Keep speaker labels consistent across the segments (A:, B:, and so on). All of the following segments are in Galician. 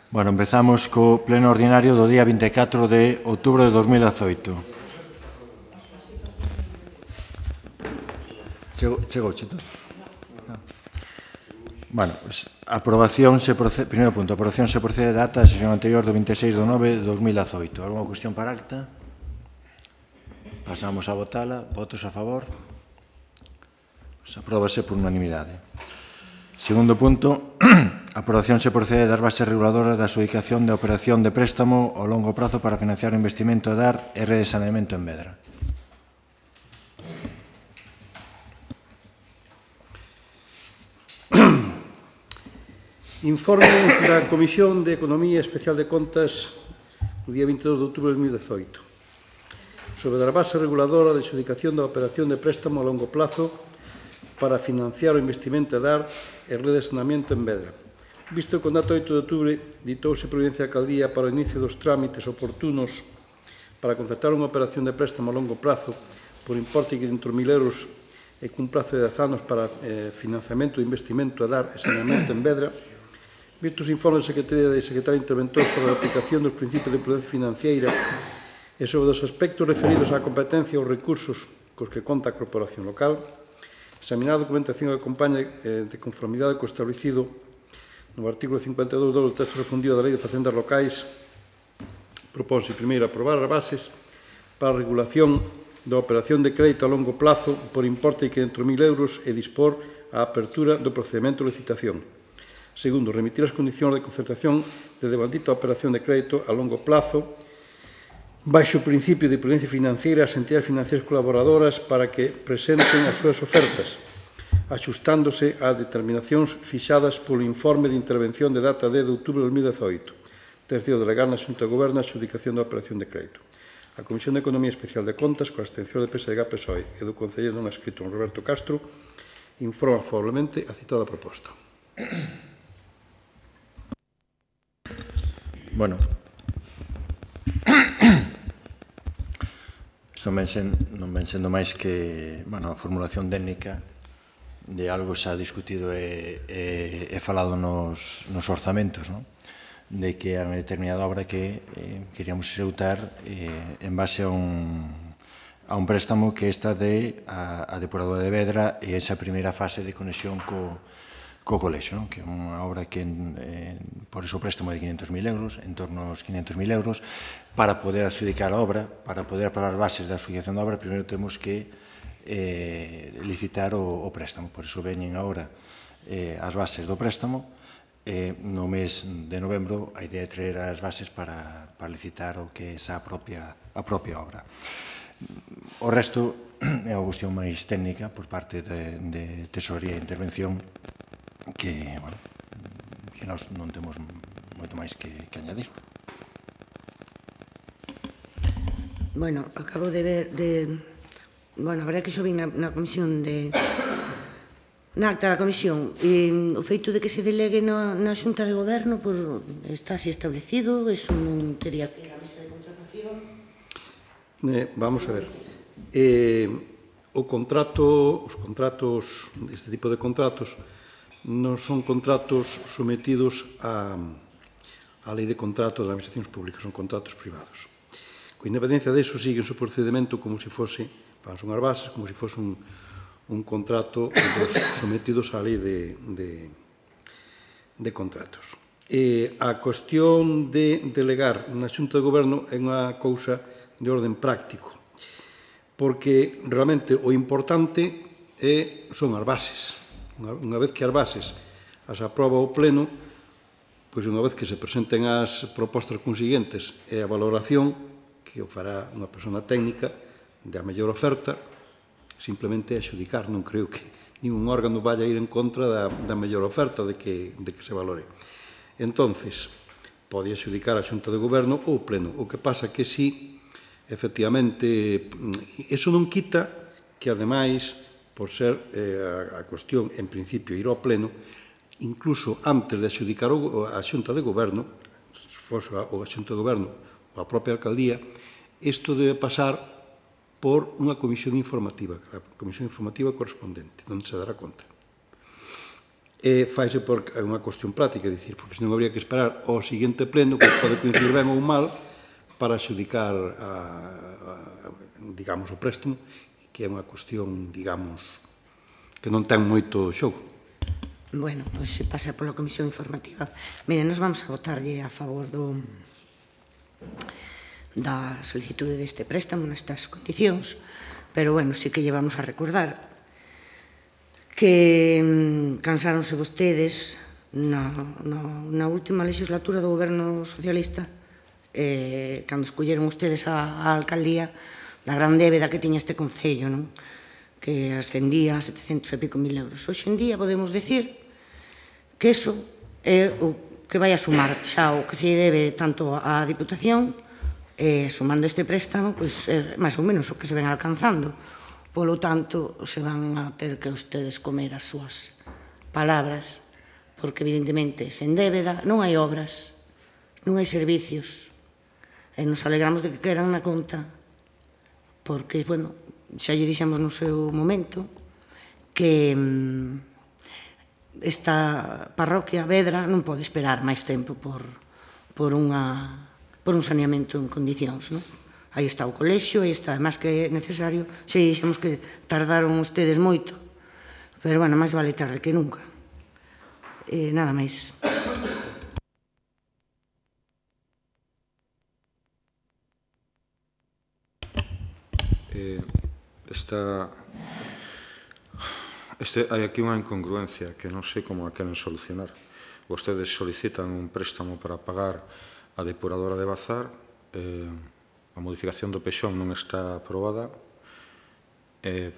A: Bueno, empezamos co pleno ordinario do día 24 de outubro de 2018. Chegou, Chito? Bueno, pues, primeiro punto, aprobación se procede de ata da sesión anterior do 26 de 9 de 2018. Alguna cuestión para acta? Pasamos a votala. Votos a favor? Pues, apróbase por unanimidade. Segundo punto, aprobación se procede das bases reguladoras da adxudicación da operación de préstamo ao longo prazo para financiar o investimento de DAR e rede de saneamento en Vedra.
B: Informe da Comisión de Economía Especial de Contas o día 22 de outubro de 2018 sobre a base reguladora de adxudicación da operación de préstamo a longo plazo para financiar o investimento de DAR e rede de saneamento en Vedra. Visto que o dato 8 de outubro ditouse providencia da Alcaldía para o inicio dos trámites oportunos para concertar unha operación de préstamo a longo plazo por importe de 500.000 euros e cun prazo de 10 anos para financiamento e investimento de DAR e saneamento en Vedra, visto os informes da Secretaría e Secretario Interventor sobre a aplicación dos principios de prudencia financiera e sobre os aspectos referidos á competencia e aos recursos cos que conta a corporación local, examinar a documentación que acompaña de conformidade co establecido no artículo 52 do texto refundido da Lei de Facendas Locais, propónse, primeiro, aprobar as bases para a regulación da operación de crédito a longo plazo por importe de 500.000 euros e dispor a apertura do procedimento de licitación. Segundo, remitir as condicións de concertación de devandita operación de crédito a longo plazo baixo o principio de prudencia financiera ás entidades financieras colaboradoras para que presenten as súas ofertas, axustándose ás determinacións fixadas polo informe de intervención de data 10 de outubro de 2018. Terceiro, delegar na Xunta de Goberno a adxudicación da operación de crédito. A Comisión de Economía Especial de Contas, coa abstención de PSG, PSOE e do concelleiro non adscrito Roberto Castro, informa favorablemente a citada proposta.
A: Bueno, isto non ven sendo máis que a formulación técnica de algo xa discutido e falado nos orzamentos, non? De que a unha determinada obra que queríamos executar en base a un préstamo que está a depuradora de Vedra e esa primeira fase de conexión co colexo, que é unha obra que por iso préstamo de 500.000 euros, en torno aos 500.000 euros, para poder adxudicar a obra, para poder aprobar as bases da adxudicación da obra, primeiro temos que licitar o préstamo. Por iso veñen agora as bases do préstamo. No mes de novembro a idea é traer as bases para licitar o que é a propia obra. O resto é unha cuestión máis técnica por parte de Tesorería e Intervención que nós non temos moito máis que añadir.
C: Bueno, acabo de ver a verdade que xo vin na comisión na acta da comisión, o feito de que se delegue na Xunta de Goberno está así establecido, eso non tería que ir á mesa de contratación.
B: Vamos a ver. Os contratos, este tipo de contratos, non son contratos sometidos á lei de contratos das administracións públicas, son contratos privados. Con independencia deso, siguen o procedimento como se fose, son as bases, como se fose un contrato sometidos á lei de contratos. A cuestión de delegar na Xunta de Goberno é unha cousa de orden práctico, porque realmente o importante son as bases. Unha vez que as bases as aproba o Pleno, pois unha vez que se presenten as propostas consiguientes e a valoración que o fará unha persona técnica da mellor oferta, simplemente adxudicar. Non creo que ningún órgano vaya a ir en contra da mellor oferta de que se valore. Entonces, pode adxudicar a Xunta de Goberno ou o Pleno. O que pasa que si, efectivamente, eso non quita que, ademais, por ser a cuestión, en principio, ir ao Pleno, incluso antes de adxudicar a Xunta de Goberno, se fose a Xunta de Goberno ou a propia Alcaldía, isto debe pasar por unha comisión informativa, a comisión informativa correspondente, onde se dará conta. faise por unha cuestión práctica, porque senón habría que esperar ao seguinte pleno, que pode coincidir ben ou mal, para adxudicar, digamos, o préstamo, que é unha cuestión, digamos, que non ten moito xogo.
C: Bueno, pois se pasa pola comisión informativa. Mire, nos vamos a votarlle a favor da solicitude deste préstamo nestas condicións, pero, bueno, sí que llevamos a recordar que cansáronse vostedes na última legislatura do goberno socialista, cando escolleron ustedes a alcaldía, da gran débeda que tiña este concello, non? Que ascendía a 700 e pico mil euros. Hoxe en día podemos decir que iso é o que vai a sumar xa o que se debe tanto á Diputación, sumando este préstamo, pois máis ou menos o que se ven alcanzando. Polo tanto, se van a ter que ustedes comer as súas palabras, porque evidentemente sen débeda non hai obras, non hai servicios, e nos alegramos de que queran na conta, porque, bueno, xa lle dixemos no seu momento que esta parroquia Vedra non pode esperar máis tempo por un saneamento en condicións, non? Aí está o colexio, aí está, máis que necesario, xa dixemos que tardaron ustedes moito, pero, bueno, máis vale tarde que nunca. Nada máis.
D: Hai aquí unha incongruencia que non sei como a queren solucionar. Vostedes solicitan un préstamo para pagar a depuradora de Bazar, a modificación do pexón non está aprobada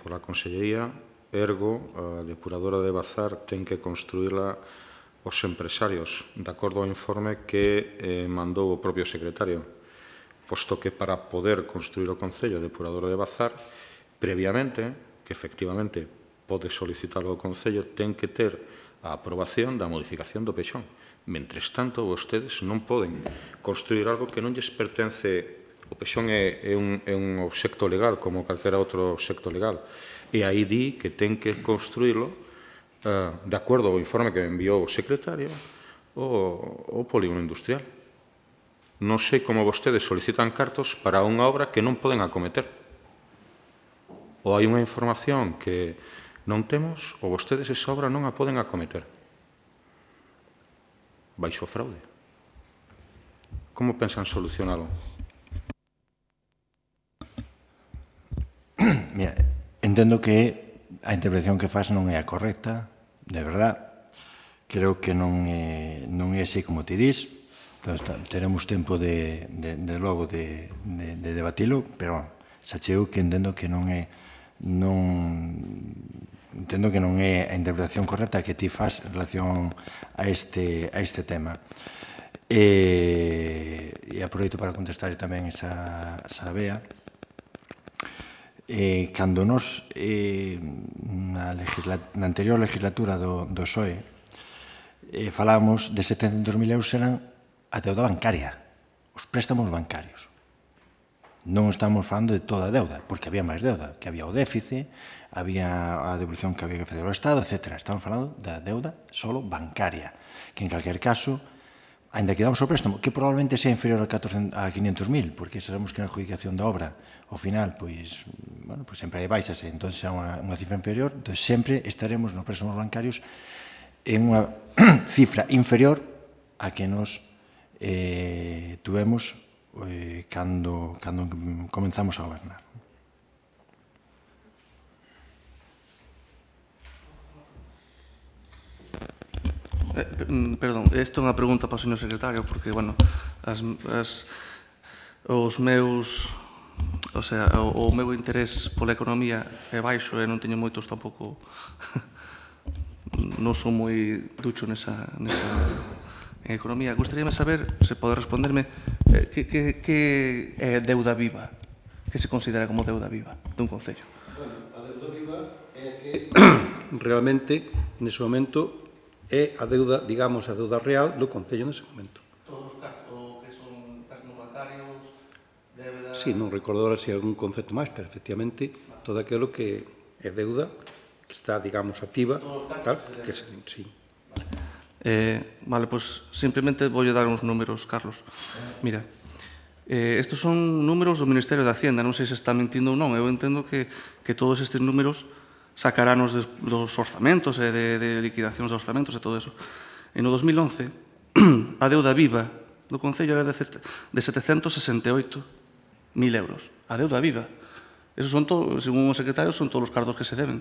D: pola Consellería, ergo, a depuradora de Bazar ten que construíla os empresarios, de acordo ao informe que mandou o propio secretario, posto que para poder construir o Concello a depuradora de Bazar, previamente, que efectivamente pode solicitar o Concello, ten que ter a aprobación da modificación do pexón. Mentres tanto, vostedes non poden construir algo que non lles pertence. O pexón é un obxecto legal, como calquera outro obxecto legal. E aí di que ten que construílo, de acordo ao informe que enviou o secretario, o polígono industrial. Non sei como vostedes solicitan cartos para unha obra que non poden acometer. Ou hai unha información que non temos, ou vostedes esa obra non a poden acometer. Baixo fraude. Como pensan solucionalo?
A: Mira, entendo que a intervención que faz non é a correcta, de verdad. Creo que non é así como te dis. Teremos tempo de logo de debatilo, pero xa chego que entendo que non é a interpretación correcta que ti faz en relación a este tema. E aproveito para contestar tamén esa Bea. Cando nos, na anterior legislatura do PSOE, falábamos de 700.000 euros eran a deuda bancaria, os préstamos bancarios. Non estamos falando de toda a deuda, porque había máis deuda, que había o déficit, había a devolución que había que facer ao Estado, etc. Estamos falando da deuda solo bancaria, que en calquer caso, ainda que damos o préstamo, que probablemente sea inferior a 500.000, porque sabemos que na adjudicación da obra, ao final, pois sempre hai baixas, entón é unha cifra inferior, entón sempre estaremos nos préstamos bancarios en unha cifra inferior a que nos tuvemos cando comenzamos a gobernar.
E: Perdón, isto é unha pregunta para o señor secretario, porque, bueno, os meus, o sea, o meu interés pola economía é baixo e non teño moitos tampouco, non son moi ducho nesa economía. Gostaríame saber, se pode responderme, que é deuda viva, que se considera como deuda viva dun concello.
B: A deuda viva é que realmente, nese momento, é a deuda, digamos, a deuda real do Concello nese momento.
E: Todos os cartos que son préstamos bancarios, débeda...
B: Sí, non recordo ahora se hai algún concepto máis, pero efectivamente todo aquilo que é deuda, que está, digamos, activa, tal, que sí.
E: Vale, pois simplemente voulle dar uns números, Carlos. Mira, estes son números do Ministerio de Hacienda, non sei se está mentindo ou non. Eu entendo que todos estes números sacarános dos orzamentos e de liquidacións de orzamentos e todo eso. E no 2011, a deuda viva do Concello era de 768.000 euros. A deuda viva. Esos son, según o secretario, son todos os cartos que se deben.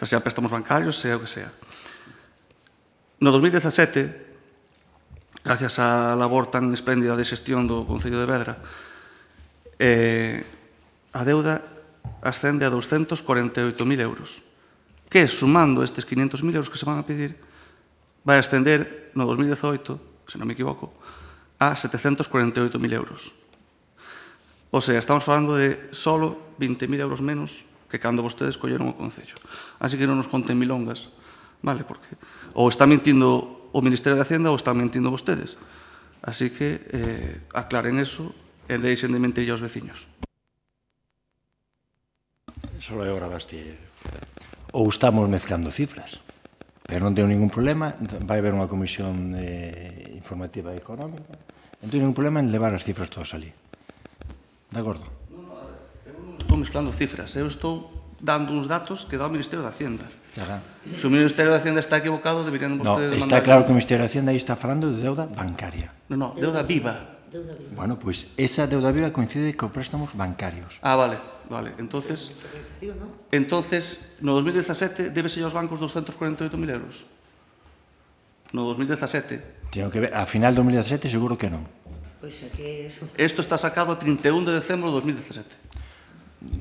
E: Sean préstamos bancarios, sea o que sea. No 2017, gracias á labor tan espléndida de xestión do Concello de Vedra, a deuda ascende a 248.000 euros, que, sumando estes 500.000 euros que se van a pedir, vai ascender no 2018, se non me equivoco, a 748.000 euros. O sea, estamos falando de solo 20.000 euros menos que cando vostedes colleron o Concello. Así que non nos conten milongas, vale? Porque ou está mentindo o Ministerio de Hacienda ou están mentindo vostedes. Así que aclaren eso e deixen de mentir aos veciños.
A: Solo é hora Bastille. Ou estamos mezclando cifras, pero non tengo ningún problema, vai haber unha comisión informativa e económica, non tengo ningún problema en levar as cifras todas ali. De acordo?
E: Eu non estou mezclando cifras, eu estou dando uns datos que dá o Ministerio de Hacienda.
A: Claro.
E: Se o Ministerio de Hacienda está equivocado, deberían vostedes
A: No,
E: mandar...
A: está claro que o Ministerio de Hacienda aí está falando de deuda bancaria.
E: No, deuda viva.
A: Bueno, pois esa deuda viva coincide con préstamos bancarios.
E: Ah, vale. Entonces, no 2017, débese aos bancos 248.000 euros. No 2017.
A: Tengo que ver, a final de 2017 seguro que non.
C: Pois é que eso...
E: Isto está sacado a 31 de decembro de 2017.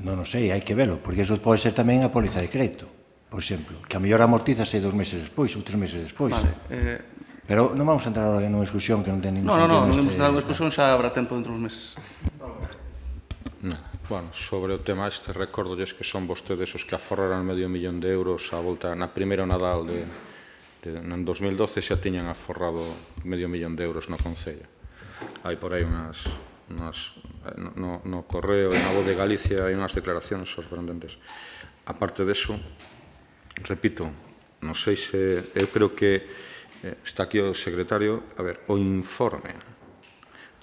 A: Non o sei, hai que velo, porque eso pode ser tamén a póliza de crédito, por exemplo, que a mellor amortízase 2 meses despois ou 3 meses despois.
E: Vale.
A: Pero non vamos a entrar agora nunha discusión que non ten ningún sentido.
E: Non vamos a entrar nunha discusión, xa habrá tempo dentro dos meses.
D: Bueno, sobre o tema este, recordolles que son vostedes os que aforraran €500.000 a volta na primeira Nadal en 2012 xa tiñan aforrado €500.000 no Concello. Hai por aí no Correo e na Voz de Galicia hai unhas declaracións sorprendentes. Aparte deso, repito, non sei se, eu creo que está aquí o secretario, a ver, o informe,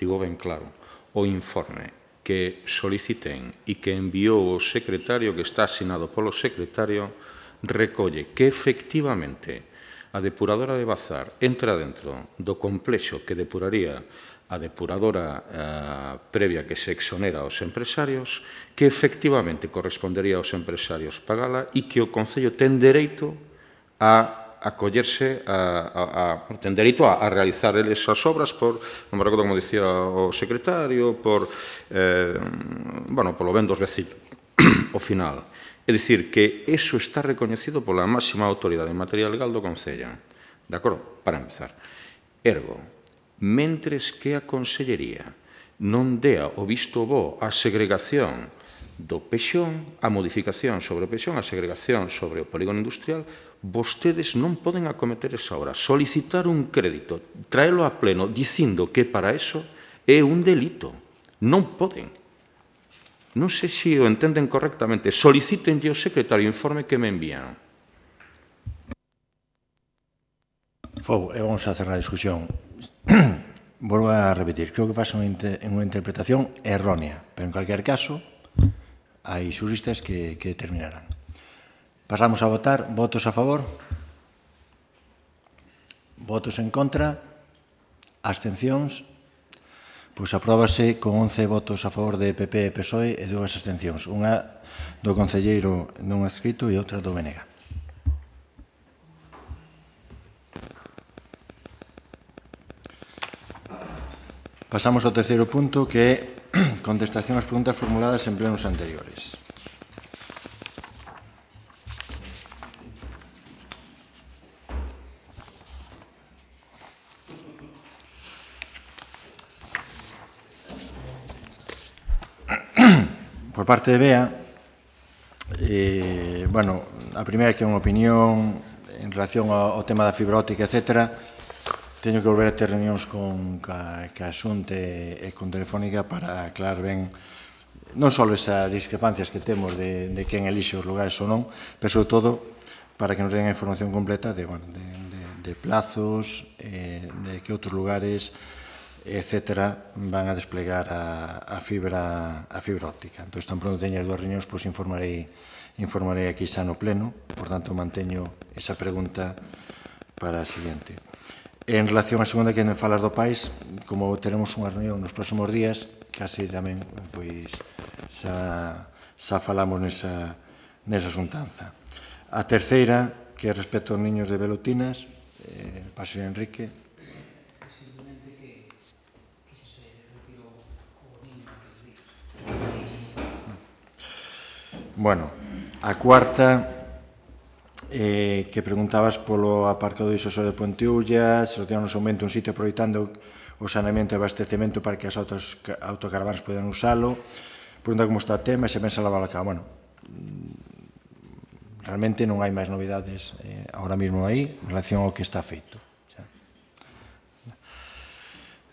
D: digo ben claro, o informe que soliciten e que enviou o secretario, que está asinado polo secretario, recolle que efectivamente a depuradora de Bazar entra dentro do complexo que depuraría a depuradora previa que se exonera aos empresarios, que efectivamente correspondería aos empresarios pagala e que o Concello ten dereito a acollerse, ten dereito a realizar eles as obras por, non me recordo como dicía o secretario, polo ben dos veciños, ao final. É dicir, que eso está recoñecido pola máxima autoridade en materia legal do Concello. De acordo? Para empezar. Ergo, mentres que a Consellería non dea o visto bo á segregación do Pexón, a modificación sobre o Pexón, a segregación sobre o polígono industrial, vostedes non poden acometer esa obra. Solicitar un crédito, traelo a pleno, dicindo que para eso é un delito. Non poden. Non sei se o entenden correctamente. Solicítenlle ao secretario o informe que me envían.
A: Vamos a cerrar a discusión. Volvo a repetir, creo que faz unha interpretación errónea, pero en cualquier caso hai xuristas que determinarán. Pasamos a votar. Votos a favor? Votos en contra? Abstencións? Pois apróbase con 11 votos a favor de PP e PSOE e 2 abstencións. Unha do concelleiro non adscrito e outra do BNG. Pasamos ao terceiro punto, que é contestación ás preguntas formuladas en plenos anteriores. Por parte de BEA, a primeira que é unha opinión en relación ao tema da fibra óptica, etc. Teño que volver a ter reunións con a Xunta e con Telefónica para aclarar ben non só esas discrepancias que temos de quen elixe os lugares ou non, pero sobre todo para que nos den a información completa de plazos, de que outros lugares, etcétera, van a desplegar a fibra óptica. Entón, tan pronto teña as dúas reunións, pois informarei aquí xa no pleno, por tanto, manteño esa pregunta para a seguinte. En relación á segunda que me falas do país, como teremos unha reunión nos próximos días, casi tamén, pois, xa falamos nesa xuntanza. A terceira, que é respecto aos niños de Velutinas, paso a Enrique. Bueno, a cuarta, que preguntabas polo aparcado disoso de Ponteullas, se nos aumento un sitio aproveitando o saneamento e abastecemento para que as autocaravanas podan usalo. Pregunta como está o tema e se pensa lavar a cabo. Bueno, realmente non hai máis novidades ahora mesmo aí en relación ao que está feito.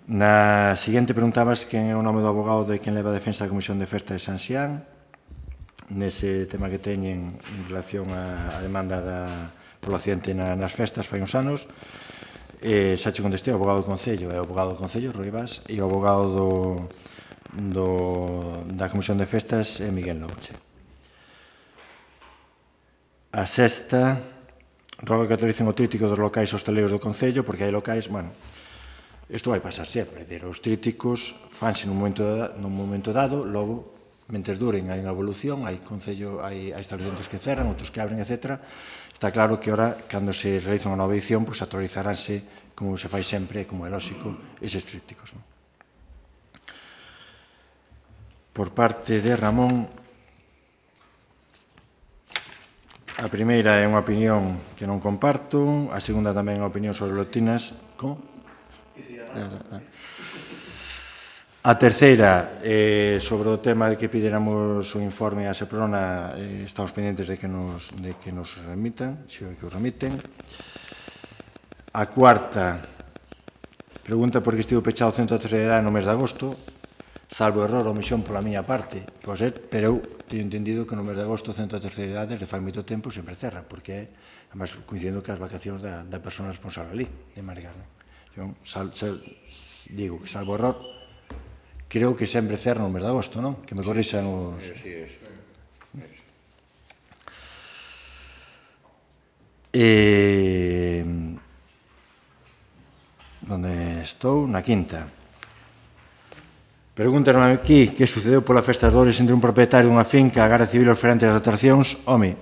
A: Na seguinte preguntabas quen é o nome do abogado de quen leva a defensa da Comisión de Festa de San Xián nese tema que teñen en relación á demanda polo accidente nas festas fai uns anos. Xa che contestei, o abogado do Concello é o abogado do Concello, Rui Vaz, e o abogado da Comisión de Festas é Miguel Nouche. A sexta, roga que autoricen o tríptico dos locais hosteleiros do Concello, porque hai locais, bueno, isto vai pasar sempre, é dicir, os trípticos fanse nun momento dado, logo, mentes duren, hai unha evolución, hai establecementos que cerran, outros que abren, etc. Está claro que ora, cando se realiza unha nova edición, pois actualizaránse, como se fai sempre, como é lógico, eses trípticos. Por parte de Ramón, a primeira é unha opinión que non comparto, a segunda tamén é unha opinión sobre Velutinas. Como? A terceira, sobre o tema de que pideramos o informe a Seprona, estamos pendientes de que nos remitan, se o que o remiten. A cuarta, pregunta por que estivo pechado o centro de terceira idade no mes de agosto, salvo error ou omisión pola miña parte, pero eu teño entendido que no mes de agosto o centro de terceira idade, desde fai moito tempo, sempre cerra, porque é, además, coincidindo que as vacacións da persona responsable ali, de Margar. Digo que, salvo error, creo que sempre cerra no mes de agosto, non? Que me corrixan os... Onde estou? Na quinta. Pregúntanos aquí que sucedeu pola Festa das Dores entre un propietario dunha finca, a Garda Civil e os ferentes das atraccións. Home,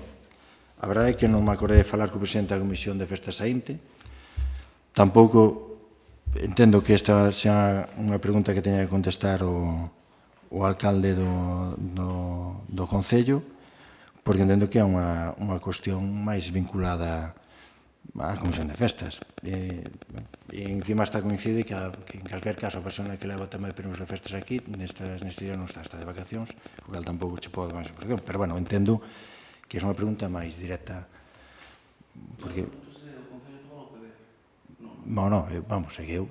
A: a verdade é que non me acordei de falar co presidente da Comisión de Festas saínte. Tampouco entendo que esta sea unha pregunta que teña que contestar o alcalde do Concello, porque entendo que é unha cuestión máis vinculada á Comisión de Festas. E encima está coincide que en calquer caso a persona que leva o tema de permisos de festas aquí neste día non está de vacacións, o cal tampouco che podo dar máis información, pero bueno, entendo que é unha pregunta máis directa porque vamos, é que eu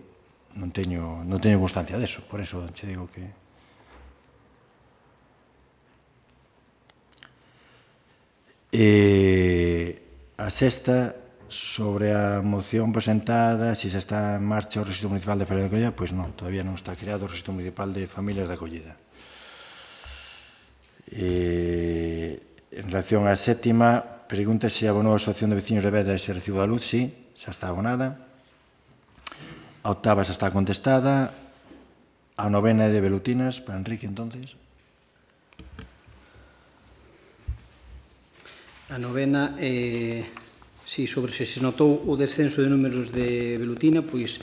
A: non teño constancia deso, por eso che digo que... A sexta, sobre a moción presentada, se xa está en marcha o Rexistro Municipal de Familias de Acollida, pois non, todavía non está creado o Rexistro Municipal de Familias de Acollida. En relación á sétima, pregunta se abonou a Asociación de Veciños de Beda ese recibo da luz, sí, xa está abonada. A octava xa está contestada. A novena é de Velutinas, para Enrique, entonces.
F: A novena, si sobre se notou o descenso de números de Velutina, pois,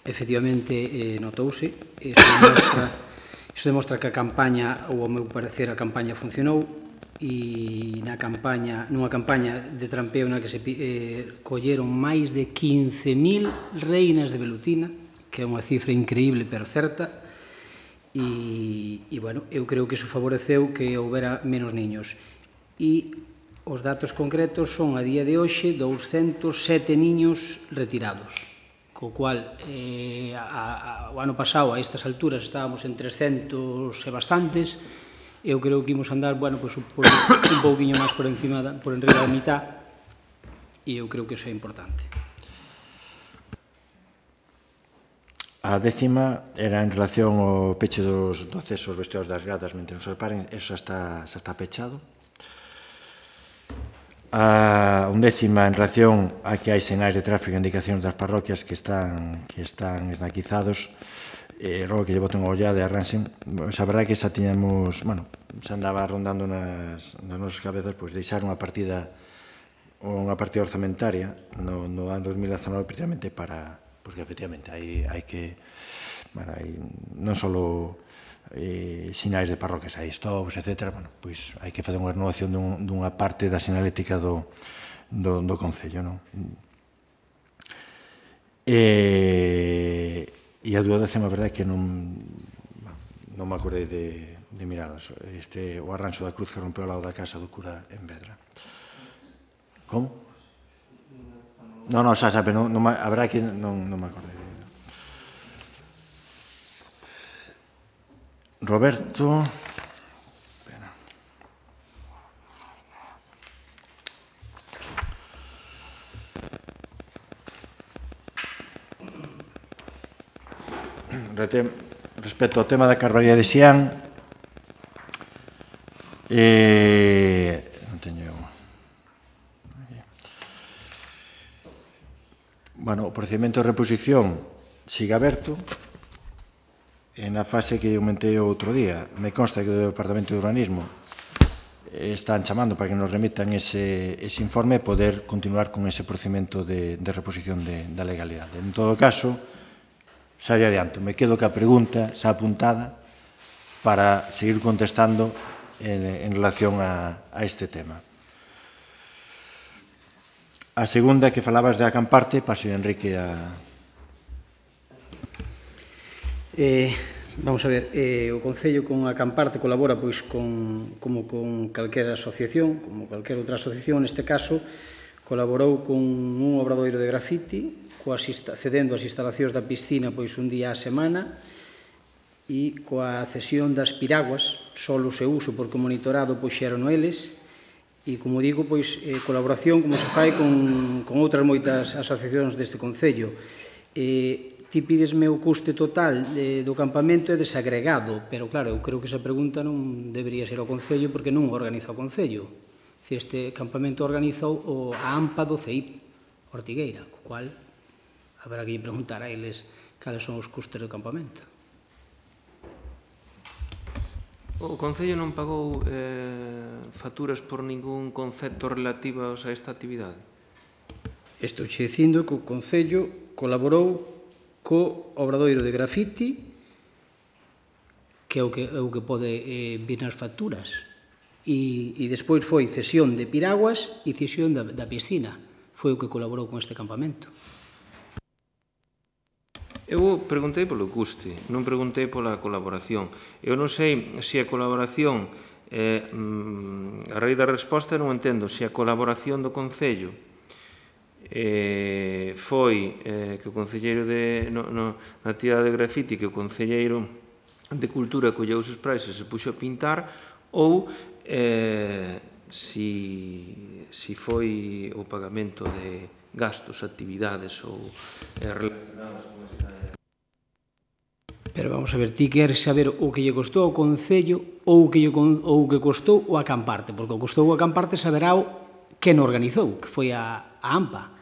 F: efectivamente, notouse. Iso demostra que a campaña, ou ao meu parecer, a campaña funcionou, e nunha campaña de trampeo na que se colleron máis de 15.000 reinas de Velutina, que é unha cifra increíble pero certa, e, bueno, eu creo que iso favoreceu que houbera menos niños. E os datos concretos son, a día de hoxe, 207 niños retirados, co cual, o ano pasado, a estas alturas, estábamos en 300 e bastantes. Eu creo que imos andar, bueno, pois, un pouquinho máis por enriba da mitad, e eu creo que iso é importante.
A: A 10ª era en relación ao peche do acceso aos vestidos das gradas mentre non se reparen, eso xa está pechado. A 11ª en relación a que hai sinais de tráfico e indicacións das parroquias que están esnaquizados, rogo que lle boten unha ollada e arranxen. A verdade é que xa tiñamos, xa andaba rondando nas nosas cabezas, pois deixar unha partida orzamentaria no ano 2019 precisamente para, pois que efectivamente hai que, non só sinais de parroquias, hai stops, etc. Pois hai que facer unha renovación dunha parte da sinalética do Concello, non? E a dúa décima, a verdade é que non me acordei de miradas. O arranxo da cruz que rompeu ao lado da casa do cura en Vedra. Como? Non, xa, pero a verdade é que non me acordei. Roberto... Respecto ao tema da Carballeira de Xián, non teño... O procedimento de reposición sigue aberto. Na fase que aumentei outro día, me consta que o Departamento de Urbanismo están chamando para que nos remitan ese informe e poder continuar con ese procedimento de reposición da legalidade. En todo caso, xa lle adianto, me quedo ca pregunta xa apuntada para seguir contestando en relación a este tema. A segunda, que falabas de Acamparte, paso a Enrique a...
F: Vamos a ver, o Concello con Acamparte colabora pois como con calquera asociación, como calquera outra asociación, neste caso colaborou con un obradoiro de grafiti, cedendo as instalacións da piscina pois un día a semana e coa cesión das piraguas, solo se uso porque o monitorado pois xeron eles e, como digo, pois colaboración como se fai con outras moitas asociacións deste Concello. Ti pídesme o custe total do campamento é desagregado, pero claro, eu creo que esa pregunta non debería ser ao Concello porque non o organiza o Concello. Este campamento organizou a AMPA do CEIP, Ortigueira, co cual haberá que preguntar a eles cales son os custes do campamento.
G: O Concello non pagou facturas por ningún concepto relativos a esta actividade?
F: Estou xe dicindo que o Concello colaborou co obradoiro de grafiti, que é o que pode vir nas facturas, e despois foi cesión de piraguas e cesión da piscina. Foi o que colaborou con este campamento.
G: Eu preguntei polo custe, non preguntei pola colaboración. Eu non sei se a colaboración, a raíz da resposta non entendo, se a colaboración do Concello foi que o concelleiro na actividade de grafiti, que o concelleiro de Cultura colleu os sprays e se puxo a pintar, ou se foi o pagamento de gastos, actividades ou relacionados con esta...
F: Pero vamos a ver, ti queres saber o que lle costou ao Concello ou o que costou o Acamparte, porque o costou o Acamparte saberá quen organizou, que foi a AMPA.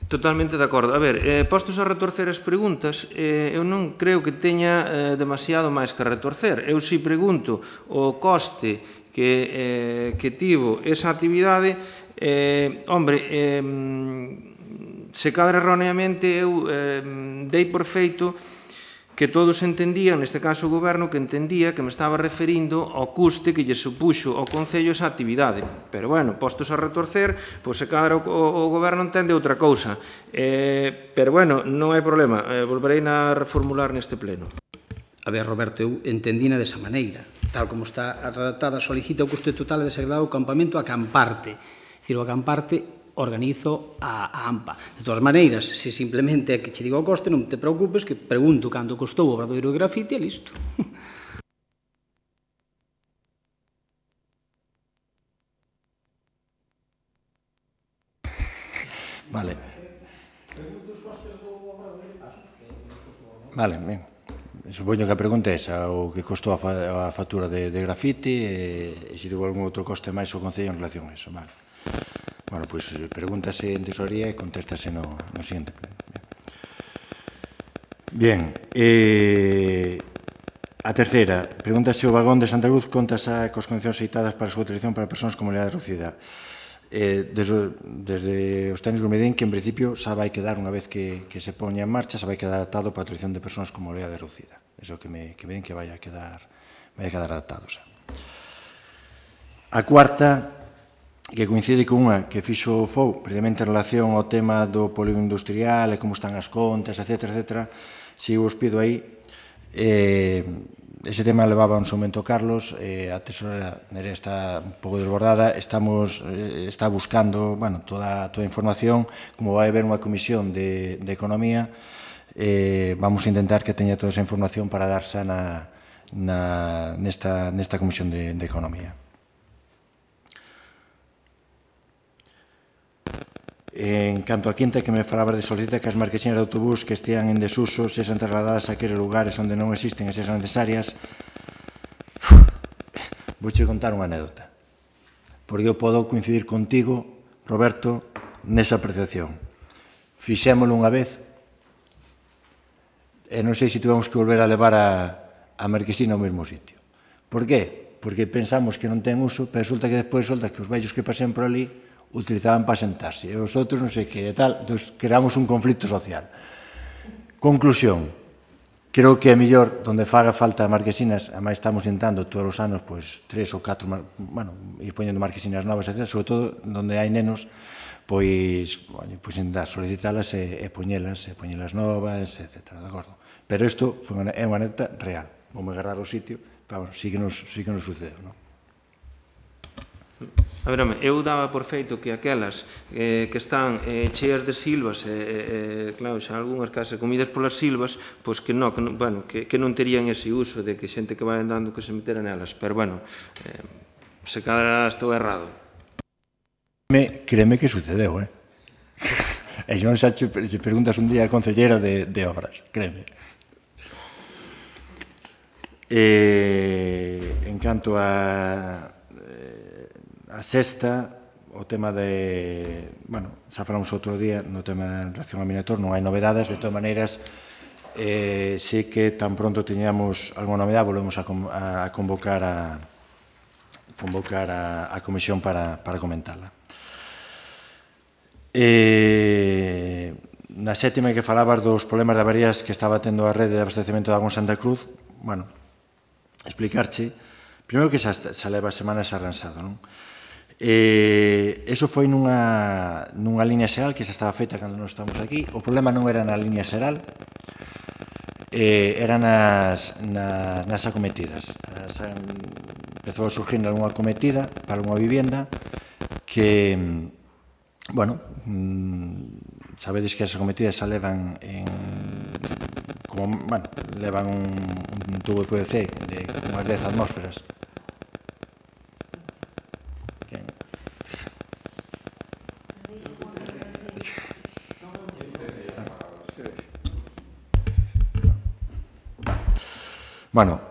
G: Totalmente de acordo. A ver, postos a retorcer as preguntas, eu non creo que teña demasiado máis que retorcer. Eu si pregunto o coste que tivo esa actividade, se cadra erróneamente eu dei por feito que todos entendían, neste caso o Goberno, que entendía que me estaba referindo ao custe que lle supuxo ao Concello esa actividade. Pero, bueno, postos a retorcer, pois se cadra o Goberno entende outra cousa. Pero, bueno, non hai problema, volverei a reformular neste pleno.
F: A ver, Roberto, eu entendina desa maneira. Tal como está redactada, solicita o custe total e desagregado o campamento Acamparte. É dicir, o Acamparte organizo a AMPA. De todas maneiras, se simplemente é que che digo o coste, non te preocupes, que pregunto cando costou o obradoiro de grafiti e listo.
A: Vale. Vale, ben. Supoño que a pregunta é esa, o que costou a factura de grafiti e se tivo algún outro coste máis o Concello en relación a eso. Vale. Bueno, pois pregúntase en tesorería e contéstase no siguiente pleno. Bien. A terceira, pregúntase o vagón de Santa Cruz conta xa cos condicións citadas para a súa utilización para persoas con mobilidade reducida. Desde os técnicos me din que en principio xa vai quedar, unha vez que se poña en marcha, xa vai quedar adaptado para a utilización de persoas con mobilidade reducida. Eso que me din que vai a quedar adaptado xa. A cuarta, que coincide con unha que fixo o FOU precisamente en relación ao tema do polígono industrial e como están as contas, etc. Si vos pido aí, ese tema levaba un momento Carlos, a tesorera Nerea está un pouco desbordada, está buscando toda a información, como vai haber unha comisión de economía, vamos a intentar que teña toda esa información para darse nesta comisión de economía. En canto a quinta, que me falabas de solicita que as marquesinas de autobús que estean en desuso sexan trasladadas a aqueles lugares onde non existen e sexan necesarias. Vouche contar unha anécdota, porque eu podo coincidir contigo, Roberto, nesa apreciación. Fixémolo unha vez e non sei se tivemos que volver a levar a marquesina ao mesmo sitio. Por qué? Porque pensamos que non ten uso, pero resulta que despois que os vellos que pasen por ali utilizaban para sentarse, e os outros non sei que e tal, entón creamos un conflito social. Conclusión, creo que é mellor donde faga falta marquesinas, ademais estamos intentando todos os anos 3 ou 4, ir poñendo marquesinas novas, etc., sobre todo donde hai nenos, pois intentar solicitalas e poñelas novas, etc., de acordo? Pero isto é unha anécdota real, vamos agarrar o sitio, pero sí que nos sucedeu, non?
G: A ver, eu daba por feito que aquelas que están cheas de silvas, claro, xa algunhas casas comidas polas silvas, pois que non terían ese uso de que xente que vai andando que se metera nelas, pero, se cada estou errado.
A: Créeme que sucedeu, e non xa che preguntas un día a concellera de obras, créeme. En canto a sexta, o tema de... xa falamos outro día no tema en relación ao Minator, non hai novedades, de todas maneiras, sei que tan pronto teñamos alguna novedade, volvemos a convocar a comisión para comentarla. Na sétima, que falabas dos problemas de averías que estaba tendo a rede de abastecemento de agua en Santa Cruz, explicarche, primeiro que xa leva semanas arransado, non? Eso foi nunha línea xeral que xa estaba feita cando nós estamos aquí. O problema non era na línea xeral, era nas acometidas. Empezou a surgir algunha acometida para unha vivienda que, sabedes que as acometidas xa levan levan un tubo de PVC de unhas 10 atmósferas.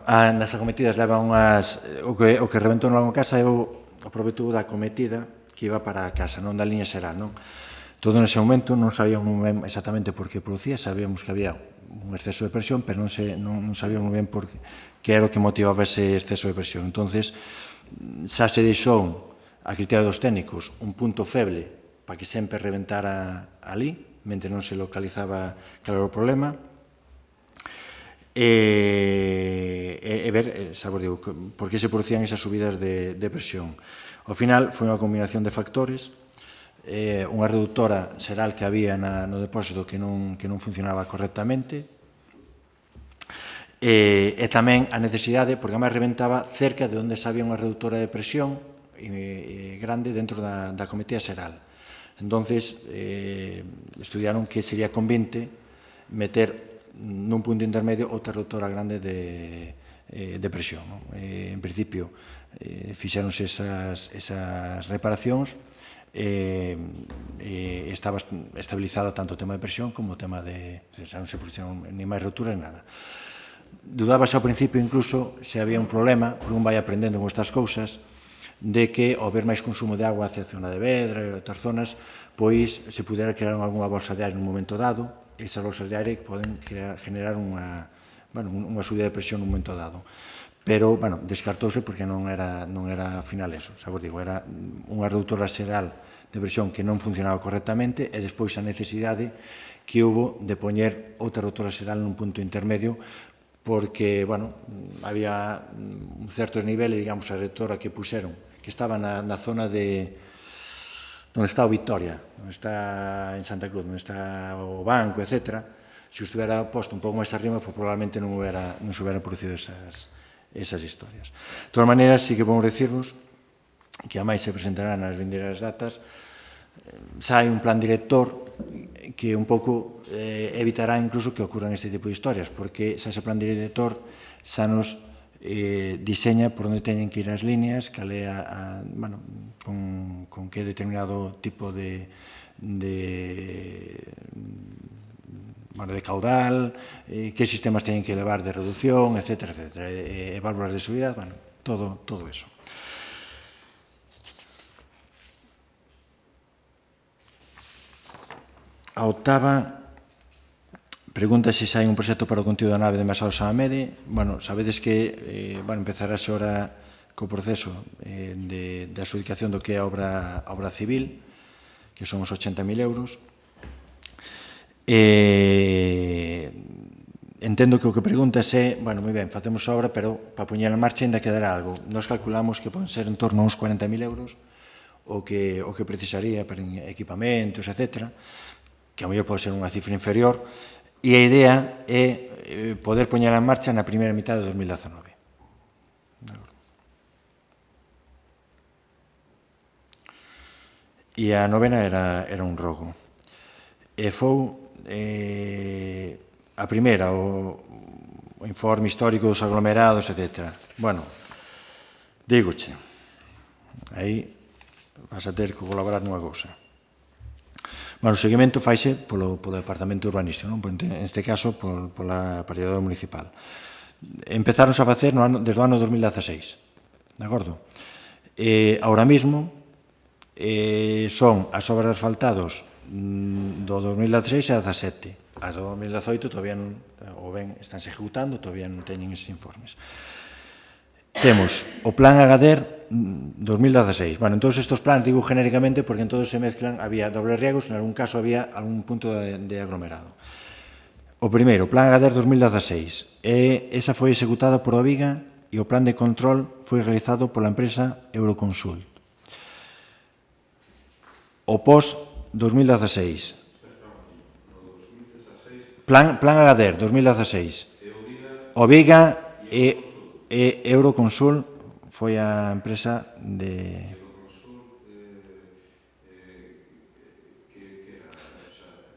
A: Nas acometidas levan unhas... O que reventou na casa é o proveito da acometida que iba para a casa, non da liña xeral, non? Todo nese momento non sabíamos ben exactamente por que producía, sabíamos que había un exceso de presión, pero non sabíamos ben por que era o que motivaba ese exceso de presión. Entonces, xa se deixou a criterio dos técnicos un punto feble para que sempre reventara ali, mentre non se localizaba claro o problema, e ver, xa vos digo, por que se producían esas subidas de presión. Ao final, foi unha combinación de factores, unha reductora xeral que había no depósito que non funcionaba correctamente, e tamén a necesidade, porque además reventaba cerca de onde xa había unha reductora de presión grande dentro da acometida xeral. Entonces, estudiaron que sería conveniente meter nun punto intermedio outra reductora grande de presión. En principio, fixéronse esas reparacións e estaba estabilizada tanto o tema de presión como o tema de... xa non se produciron ni máis roturas, nada. Dudábase ao principio incluso se había un problema, porque un vai aprendendo con estas cousas, de que ao haber máis consumo de agua hacia a zona de Vedra e outras zonas, pois se pudera crear algunha bolsa de aire nun momento dado, esas bolsas de aire poden generar unha subida de presión nun momento dado. Pero, descartouse porque non era ao final eso, xa vos digo, era unha reductora xeral de presión que non funcionaba correctamente e despois a necesidade que hubo de poñer outra reductora xeral nun punto intermedio porque, había un certo nivel, digamos, a reductora que puxeron, que estaba na zona de onde está o Victoria, onde está en Santa Cruz, onde está o banco, etc. Se estuviera posto un pouco máis arriba, pues, probablemente non se hubieran producido esas historias. De todas maneiras, sí que podemos decirvos que a máis se presentará nas vindeiras datas, xa hai un plan director que un pouco evitará incluso que ocurran este tipo de historias, porque xa ese plan director xa nos diseña por onde teñen que ir as líneas, cal é con que determinado tipo de caudal, que sistemas teñen que levar de reducción, etc. Válvulas de subida, todo eso. A octava pregunta se hai un proxecto para o contido da nave de Envasados a Amede. Sabedes que empezarase ora co proceso de adxudicación do que é a obra civil, que son os 80.000 euros. Entendo que o que preguntas é, moi ben, facemos a obra, pero para poñer en marcha ainda quedará algo. Nos calculamos que poden ser en torno a uns 40.000 euros o que precisaría para equipamentos, etc., que a mellor pode ser unha cifra inferior, e a idea é poder poñer en marcha na primeira mitad de 2019. E a novena era un rogo. E foi a primeira, o informe histórico dos aglomerados, etc. Dígoche, aí vas a ter que colaborar nunha cousa. O seguimento faise polo Departamento Urbanístico, en este caso pola Paridade Municipal. Empezáronse a facer desde o ano 2016, de acordo? Ahora mesmo son as obras de asfaltados do 2016 e 2017. As do 2018 todavía non, ou ben, estánse ejecutando, todavía non teñen esos informes. Temos o Plan Agadir 2016. Entón estes plans digo genéricamente porque en todos se mezclan, había dobles riegos, en algún caso había algún punto de aglomerado. O primeiro, Plan Agadir 2016, esa foi executada por Oviga e o plan de control foi realizado pola empresa Euroconsult. O POS 2016. Plan Agadir 2016. Oviga e Euroconsult foi a empresa de...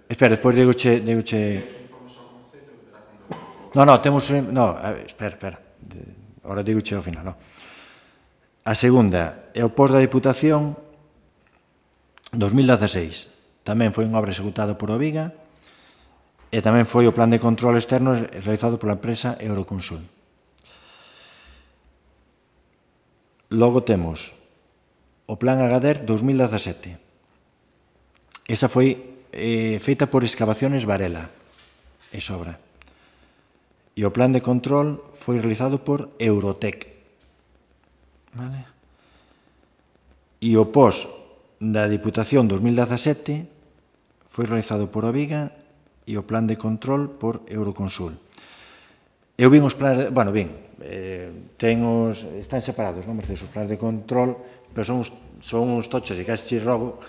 A: Espera, despois digoche... temos... Espera. Ahora digoche ao final. A segunda é o POS da Diputación 2016. Tamén foi unha obra executada por Oviga e tamén foi o plan de control externo realizado pola empresa Euroconsult. Logo temos o Plan Agadir 2017. Esa foi feita por Excavaciones Varela, esa obra. E o plan de control foi realizado por Eurotec. E o POS da Diputación 2017 foi realizado por Oviga e o plan de control por Euroconsult. Eu vin os plans... están separados, non, Mercedes, os plans de control, pero son uns tochos e casi rogo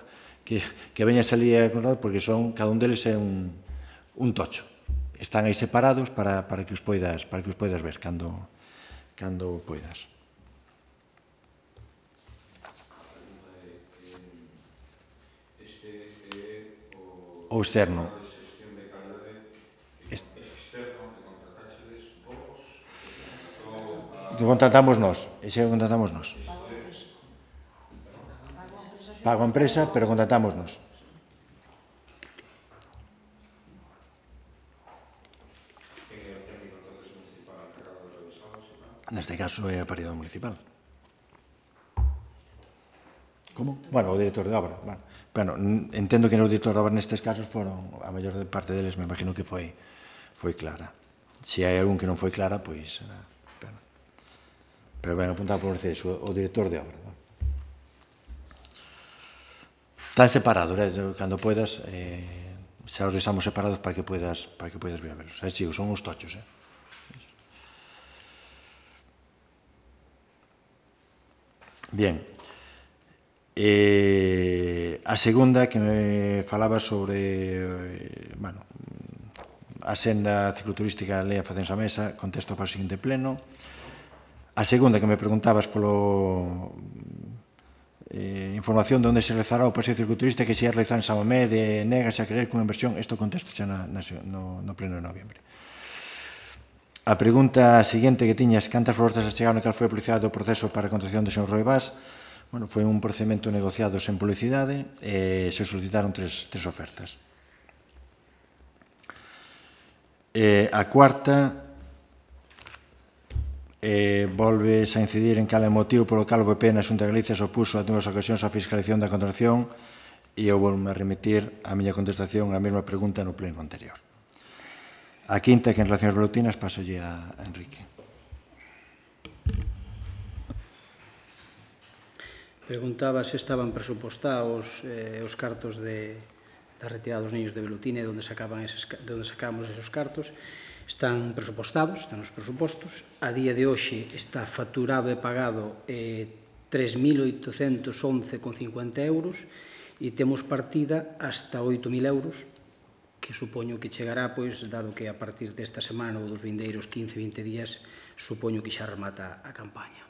A: que veña a salir porque cada un deles é un tocho. Están aí separados para que os poidas ver cando poidas. O externo. Contratamos nós, ese contratamos nós. Pago a empresa, pero contratamos nós. Neste caso é a paridade municipal. Como? Bueno, o director de obra. Bueno, entendo que o director de obra nestes casos foron, a maior parte deles, me imagino que foi clara. Se hai algún que non foi clara, pois... Pero ben apuntado por vocês, o director de obra. Están separados, cando poidas, xa os deixamos separados para que poidas vir a verlos. Sí, son uns tochos, Bien. A segunda que me falaba sobre a senda cicloturística lea facense a mesa, contesto para o seguinte pleno. A segunda que me preguntabas polo información de onde se realizará o paseo cicloturista que se ia realizar en San Mamé de Negas a querer cunha inversión, isto contesto xa no pleno de noviembre. A pregunta seguinte que tiñas, cantas propostas achegaron e cal foi a publicidade do proceso para a contratación do señor Roi Vaz? Bueno, foi un procedimento negociado sen publicidade e se solicitaron tres ofertas. A cuarta, volves a incidir en cal é o motivo polo cal o PP na Xunta de Galicia se opuso a dúas ocasións á fiscalización da contratación e eu volvo a remitir a miña contestación á mesma pregunta no pleno anterior. A quinta, que en relación ás velutinas, pasolle a Enrique.
F: Preguntaba se estaban presupostados os cartos da retirada dos niños de Velutina e onde sacábamos esos cartos. Están presupostados, están nos presupostos. A día de hoxe está facturado e pagado 3.811,50 euros e temos partida hasta 8.000 euros, que supoño que chegará, pois, dado que a partir desta semana ou dos vindeiros 15-20 días, supoño que xa remata a campaña.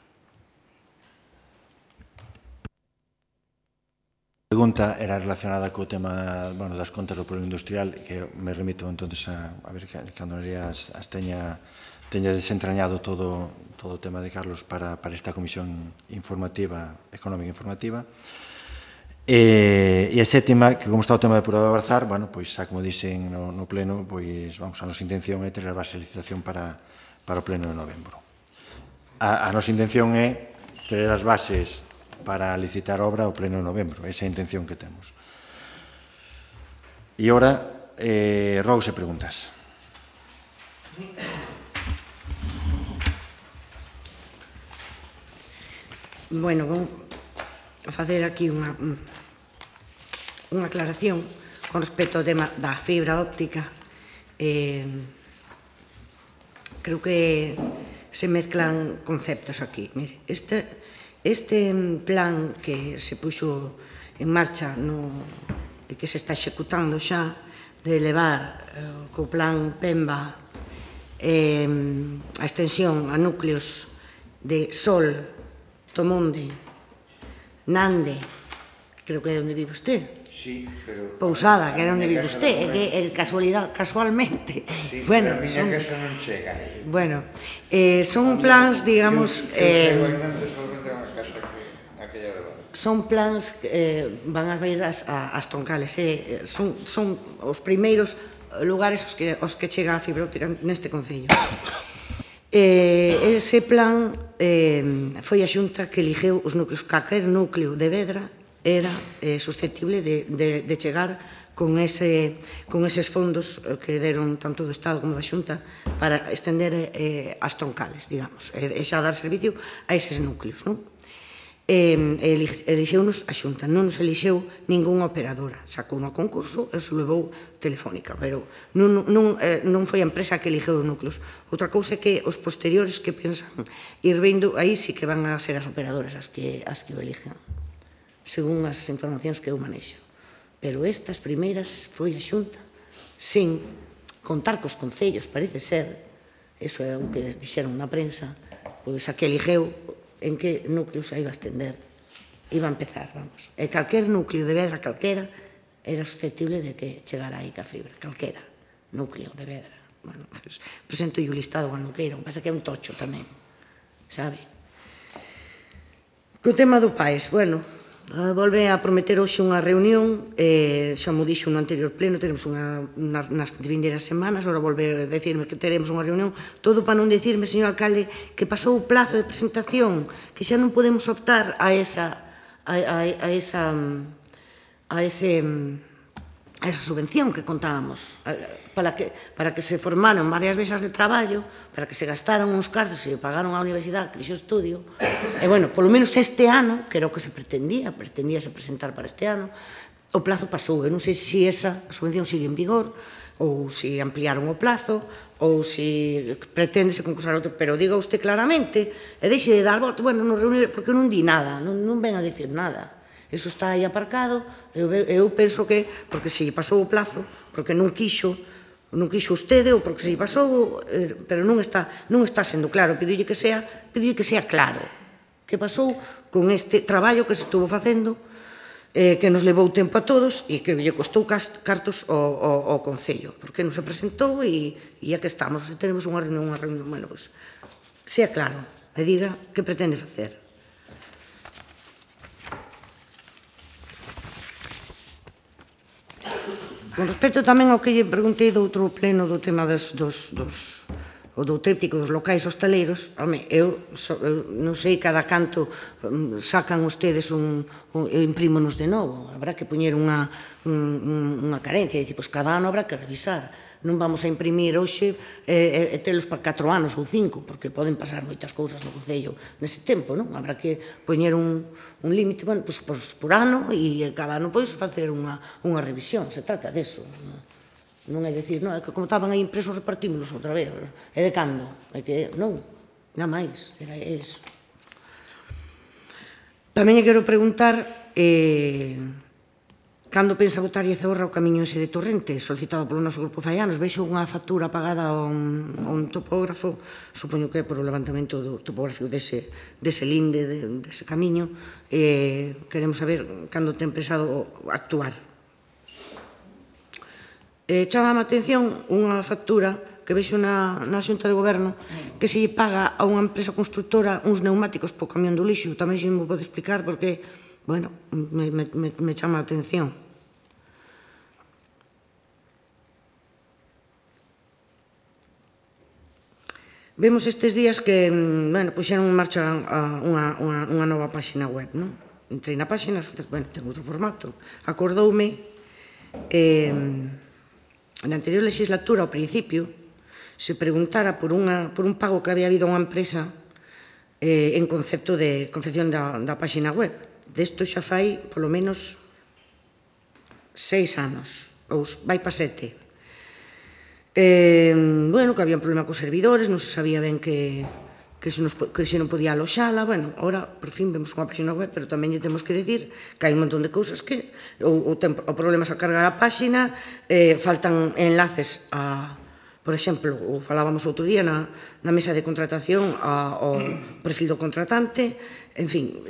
A: A pregunta era relacionada co tema das contas do polígono industrial, que me remito entonces a ver cando as teña desentrañado todo o tema de Carlos para esta comisión informativa, económica informativa. E a sétima, que como está o tema de depurador de Barzar, pois xa como dixen no pleno, pois a nosa intención é ter a base de licitación para o pleno de novembro. A nosa intención é ter as bases para licitar obra ao pleno de novembro. Esa é a intención que temos. E ora, rogos e preguntas.
C: Bueno, vou facer aquí unha aclaración con respecto ao tema da fibra óptica. Creo que se mezclan conceptos aquí. Mire, este plan que se puxo en marcha e que se está executando xa de elevar co plan PEMBA a extensión a núcleos de Sol, Tomonde, Nande, creo que é onde vive usted.
A: Sí, pero...
C: Pousada, que é onde vive usted, é que casualmente.
A: Sí, pero a miña casa non chega.
C: Bueno, son plans, digamos... Son plans que van a ir ás troncales, son os primeiros lugares aos que chega a fibra óptica neste concello. Ese plan foi a Xunta que eligeu os núcleos. Calquer núcleo de Vedra era susceptible de chegar con eses fondos que deron tanto do Estado como da Xunta para estender as troncales, digamos, e xa dar servicio a eses núcleos, non? Elixeunos a Xunta, non nos elixeu ningunha operadora, sacou no concurso e se levou Telefónica, pero non foi a empresa que elixeu os núcleos. Outra cousa é que os posteriores que pensan ir vindo, aí sí que van a ser as operadoras as que o eligen, según as informacións que eu manexo. Pero estas primeiras foi a Xunta, sin contar cos concellos, parece ser, eso é o que dixeron na prensa, pois a que eligeu en que núcleos a iba a estender, iba a empezar, vamos. E calquer núcleo de Vedra, calquera, era susceptible de que chegara aí ca fibra, calquera núcleo de Vedra. Bueno, presento o listado cando queiran, pasa que é un tocho tamén, sabe? Co tema do PAES, bueno, Volve a prometer hoxe unha reunión, xa mo dixo no anterior pleno, teremos nas vindeiras semanas, ora volver a decirme que teremos unha reunión, todo para non decirme, señor alcalde, que pasou o plazo de presentación, que xa non podemos optar a esa subvención que contábamos, para que se formaron varias mesas de traballo, para que se gastaron uns cartos e pagaron á universidade que dixo estudio, e, bueno, polo menos este ano, que era o que se pretendíase presentar para este ano, o plazo pasou. Eu non sei se esa subvención sigue en vigor, ou se ampliaron o plazo, ou se pretendese concursar outro, pero diga usted claramente, e deixe de dar voto, bueno, non reunir, porque non di nada, non ven a dicir nada. Eso está aí aparcado, eu penso que, porque se pasou o plazo, porque non quixo vostede, ou porque se pasou, pero non está sendo claro. Pidoulle que sea claro. Que pasou con este traballo que se estuvo facendo, que nos levou tempo a todos e que lle costou cartos ao Concello, porque non se presentou e aquí estamos, tenemos unha reunión, bueno, pois, sea claro, e diga que pretende facer. Con respecto tamén ao que lle preguntei do outro pleno do tema do tríptico dos locais hostaleiros, eu non sei cada canto sacan ustedes e imprímonos de novo. Habrá que poñer unha carencia, e dicir, pois cada ano habrá que revisar. Non vamos a imprimir hoxe e telos para 4 anos ou 5, porque poden pasar moitas cousas no Concello nese tempo, non? Habrá que poñer un límite, bueno, pois por ano, e cada ano pois facer unha revisión. Se trata deso. Non é dicir, non, é que como estaban aí impresos repartímolos outra vez. É de cando? É que non, nada máis, era eso. Tamén lle quero preguntar cando pensa botarlle Zorra o camiño ese de Torrente, solicitado polo noso grupo Faianos. Veixo unha factura pagada a un topógrafo, supoño que é por o levantamento do topográfico dese linde, dese camiño, e queremos saber cando ten pensado actuar. Chama a atención unha factura que vexo na Xunta de Goberno que se lle paga a unha empresa constructora uns neumáticos po camión do lixo. Tamén se me pode explicar porque, bueno, me chama a atención. Vemos estes días que, bueno, puxeron en marcha unha nova páxina web, non? Entrei na páxina, bueno, ten outro formato. Acordoume na anterior legislatura, ao principio, se preguntara por un pago que había habido a unha empresa en concepto de confección da páxina web. Desto xa fai, polo menos, 6 anos, ou vai para 7. Bueno, que había un problema cos servidores, non se sabía ben que se non podía aloxala. Bueno, ahora, por fin, vemos unha páxina web, pero tamén lle temos que decir que hai un montón de cousas que o problema é a cargar a páxina, faltan enlaces a, por exemplo, falábamos outro día na mesa de contratación ao perfil do contratante, en fin,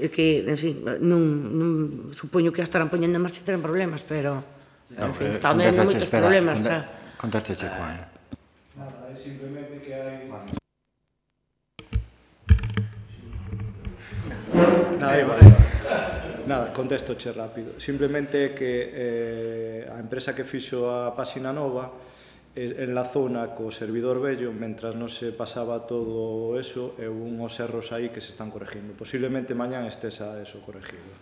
C: non supoño que a estarán poñendo en marcha e terán problemas, pero, en fin, están vendo moitos problemas.
A: Contásteche, Juan.
B: Nada, é simplemente que hai... Nada, contestoche rápido. Simplemente que a empresa que fixo a páxina nova enlazona co servidor vello mentras non se pasaba todo eso e unhos erros aí que se están corregindo. Posiblemente mañán estesa eso corregido.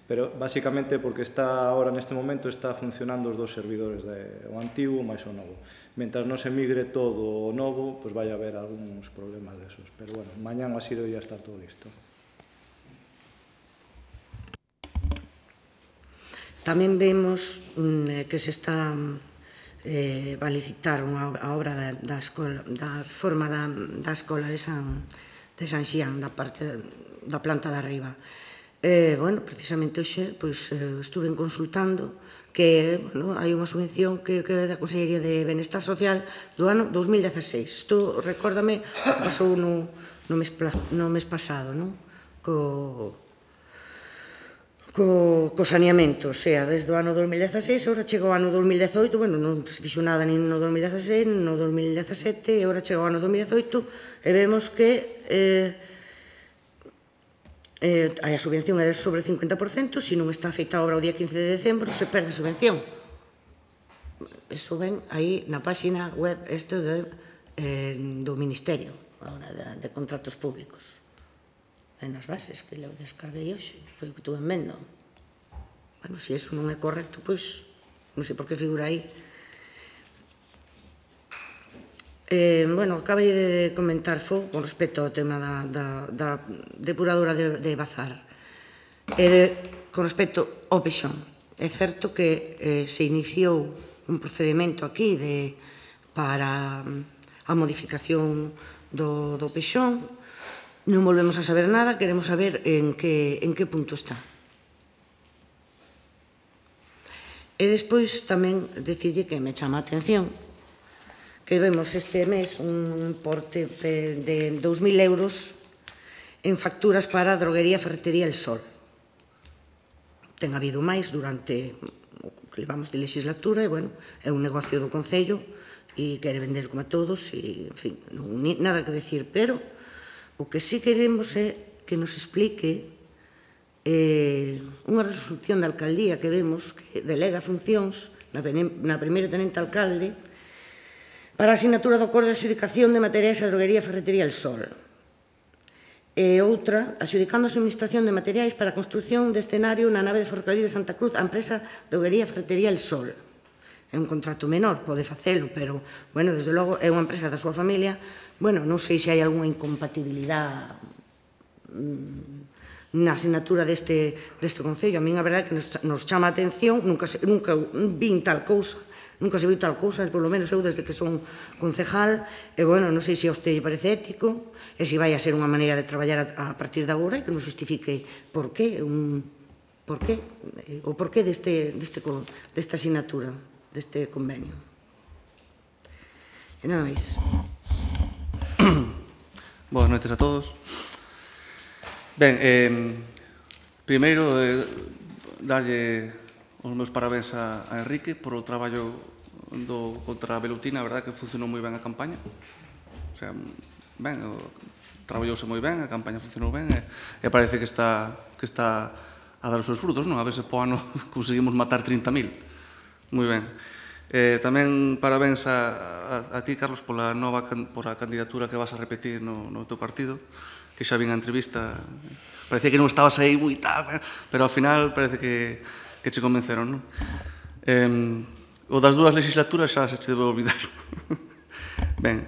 B: Pero basicamente porque está ahora neste momento está funcionando os dos servidores, o antigo máis o novo. Mentras non se migre todo o novo, pois vai haber algúns problemas desos. Pero bueno, mañán así debería estar todo listo.
C: Tamén vemos que se está a licitar a obra da reforma da escola de San Xián, da planta de arriba. Bueno, precisamente hoxe estuve consultando que hai unha subvención que é da Consellería de Benestar Social do ano 2016. Isto, recórdame, pasou no mes pasado, co saneamento, o sea, desde o ano 2016, agora chega o ano 2018, bueno, non se fixo nada nin no 2016, nin no 2017, e agora chega o ano 2018, e vemos que a subvención é sobre 50%, se non está feita a obra o día 15 de decembro, se perde a subvención. Eso ven aí na páxina web do Ministerio de Contratos Públicos. E nas bases que le descarguei hoxe, foi o que tuve en mendo. Bueno, se iso non é correcto, pois non sei por que figura aí. Bueno, acabei de comentar con respecto ao tema da depuradora de Bazar. Con respecto ao Pexón, é certo que se iniciou un procedimento aquí para a modificación do Pexón. Non volvemos a saber nada, queremos saber en que punto está. E despois tamén dicirlle que me chama a atención que vemos este mes un importe de 2.000 euros en facturas para a droguería Ferretería El Sol. Ten habido máis durante o que levamos de legislatura e, bueno, é un negocio do Concello e quere vender como a todos e, en fin, nada que decir, pero o que sí queremos é que nos explique unha resolución da alcaldía que vemos que delega funcións na primeira tenente alcalde para a asignatura do acordo de adxudicación de materiais a droguería Ferretería El Sol. E outra, adxudicando a suministración de materiais para a construción de escenario na nave de Ferrocarril de Santa Cruz a empresa droguería Ferretería El Sol. É un contrato menor, pode facelo, pero, bueno, desde logo, é unha empresa da súa familia. Bueno, non sei se hai algunha incompatibilidade na asignatura deste Concello. A min a verdade é que nos chama a atención, nunca vin tal cousa, nunca se viu tal cousa, polo menos eu desde que son concejal, e, bueno, non sei se a usted lle parece ético, e se vai a ser unha maneira de traballar a partir de agora e que nos justifique por qué, o porqué desta asignatura, deste convenio. E nada máis.
E: Boas noites a todos. Ben, primeiro, darlle os meus parabéns a Enrique por o traballo contra a velutina. A verdade que funcionou moi ben a campaña. O sea, ben, traballouse moi ben, a campaña funcionou ben e parece que está a dar os seus frutos, non? A ver se po ano conseguimos matar 30.000. Moi ben. Tamén parabéns a ti, Carlos, por a candidatura que vas a repetir no teu partido, que xa vin a entrevista. Parecía que non estabas aí moi tal, pero ao final parece que che convenceron, non? O das dúas legislaturas xa se che debe olvidar. Ben,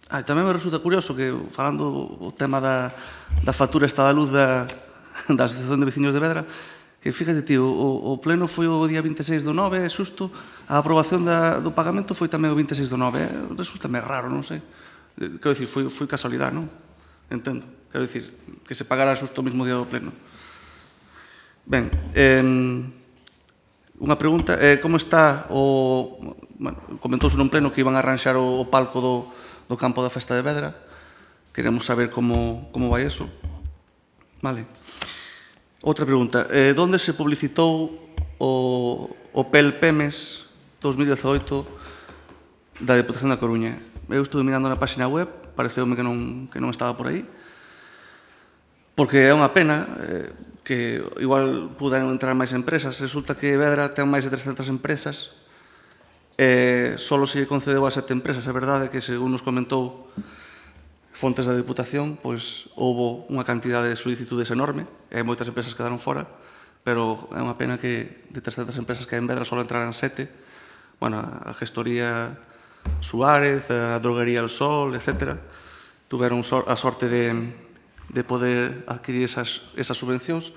E: tamén me resulta curioso que, falando o tema da factura esta da luz da Asociación de Veciños de Vedra, que, fíjate, tío, o pleno foi o día 26 do 9, xusto, a aprobación do pagamento foi tamén o 26 do 9, resulta-me raro, non sei. Quero dicir, foi casualidade, non? Entendo. Quero dicir, que se pagara xusto o mesmo día do pleno. Ben, unha pregunta, como está comentouse nun pleno que iban a arranxar o palco do campo da Festa de Vedra. Queremos saber como vai eso. Vale. Outra pregunta, onde se publicitou o PEL-PEMES 2018 da Deputación da Coruña? Eu estuve mirando na página web, pareceume que non estaba por aí, porque é unha pena que igual puderan entrar máis empresas. Resulta que Vedra ten máis de 300 empresas, só se lle concedeu a 7 empresas. É verdade que, según nos comentou fontes da Deputación, pois houve unha cantidade de solicitudes enorme, e moitas empresas quedaron fora, pero é unha pena que de 300 empresas que hai en Vedra só entraran 7. Bueno, a gestoría Suárez, a droguería El Sol, etc., tuveron a sorte de poder adquirir esas subvencións,